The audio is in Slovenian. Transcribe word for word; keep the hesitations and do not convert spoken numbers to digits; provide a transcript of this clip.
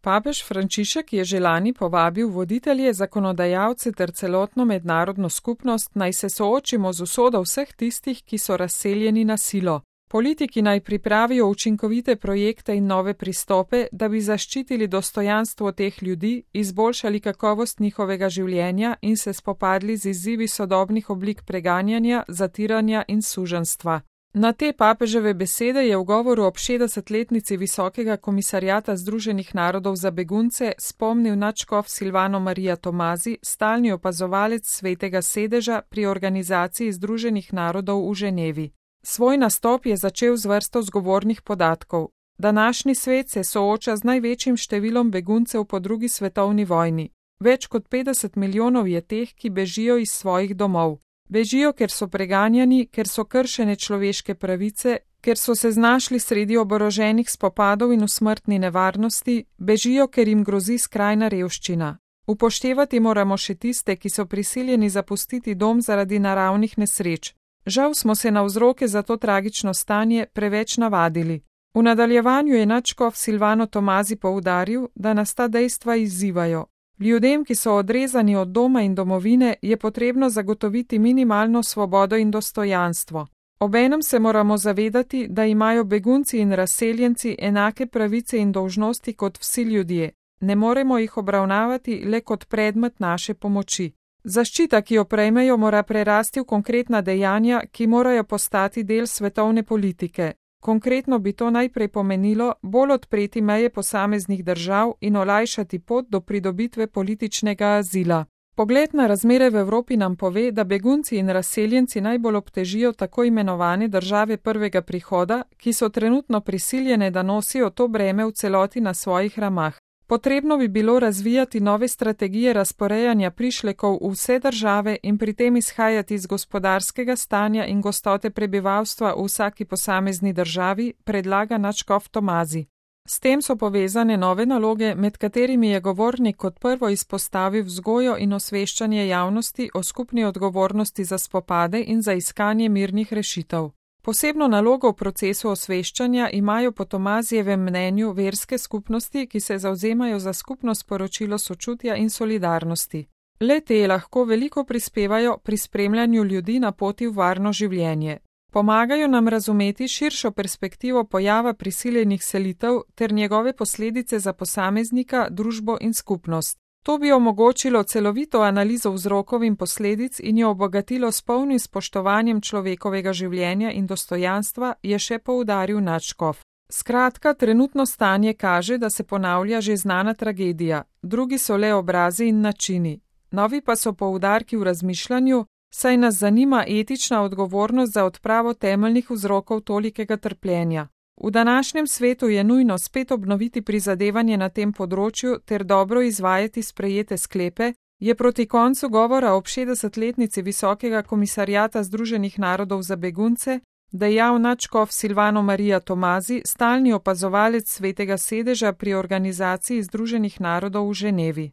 Papež Frančišek je že lani povabil voditelje, zakonodajalce ter celotno mednarodno skupnost, naj se soočimo z usodo vseh tistih, ki so razseljeni na silo. Politiki naj pripravijo učinkovite projekte in nove pristope, da bi zaščitili dostojanstvo teh ljudi, izboljšali kakovost njihovega življenja in se spopadli z izzivi sodobnih oblik preganjanja, zatiranja in suženjstva. Na te papeževe besede je v govoru ob šestdesetletnici Visokega komisarjata Združenih narodov za begunce spomnil nadškof Silvano Maria Tomazi, stalni opazovalec Svetega sedeža pri Organizaciji Združenih narodov v Ženevi. Svoj nastop je začel z vrsto zgovornih podatkov. Današnji svet se sooča z največjim številom beguncev po drugi svetovni vojni. Več kot petdeset milijonov je teh, ki bežijo iz svojih domov. Bežijo, ker so preganjani, ker so kršene človeške pravice, ker so se znašli sredi oboroženih spopadov in v smrtni nevarnosti, bežijo, ker jim grozi skrajna revščina. Upoštevati moramo še tiste, ki so prisiljeni zapustiti dom zaradi naravnih nesreč. Žal smo se na vzroke za to tragično stanje preveč navadili. V nadaljevanju je nadškof Silvano Tomazi poudaril, da nas ta dejstva izzivajo. Ljudem, ki so odrezani od doma in domovine, je potrebno zagotoviti minimalno svobodo in dostojanstvo. Obenem se moramo zavedati, da imajo begunci in razseljenci enake pravice in dolžnosti kot vsi ljudje. Ne moremo jih obravnavati le kot predmet naše pomoči. Zaščita, ki jo prejmejo, mora prerasti v konkretna dejanja, ki morajo postati del svetovne politike. Konkretno bi to najprej pomenilo bolj odpreti meje posameznih držav in olajšati pot do pridobitve političnega azila. Pogled na razmere v Evropi nam pove, da begunci in razseljenci najbolj obtežijo tako imenovane države prvega prihoda, ki so trenutno prisiljene, da nosijo to breme v celoti na svojih ramah. Potrebno bi bilo razvijati nove strategije razporejanja prišlekov v vse države in pri tem izhajati iz gospodarskega stanja in gostote prebivalstva v vsaki posamezni državi, predlaga nadškof Tomazi. S tem so povezane nove naloge, med katerimi je govornik kot prvo izpostavil vzgojo in osveščanje javnosti o skupni odgovornosti za spopade in za iskanje mirnih rešitev. Posebno nalogo v procesu osveščanja imajo po Tomazijevem mnenju verske skupnosti, ki se zavzemajo za skupno sporočilo sočutja in solidarnosti. Le te lahko veliko prispevajo pri spremljanju ljudi na poti v varno življenje. Pomagajo nam razumeti širšo perspektivo pojava prisiljenih selitev ter njegove posledice za posameznika, družbo in skupnost. To bi omogočilo celovito analizo vzrokov in posledic in jo obogatilo s polnim spoštovanjem človekovega življenja in dostojanstva, je še poudaril nadškof. Skratka, trenutno stanje kaže, da se ponavlja že znana tragedija, drugi so le obrazi in načini. Novi pa so poudarki v razmišljanju, saj nas zanima etična odgovornost za odpravo temeljnih vzrokov tolikega trpljenja. V današnjem svetu je nujno spet obnoviti prizadevanje na tem področju ter dobro izvajati sprejete sklepe, je proti koncu govora ob šestdesetletnici Visokega komisarjata Združenih narodov za begunce dejal nadškof Silvano Maria Tomazi, stalni opazovalec Svetega sedeža pri Organizaciji Združenih narodov v Ženevi.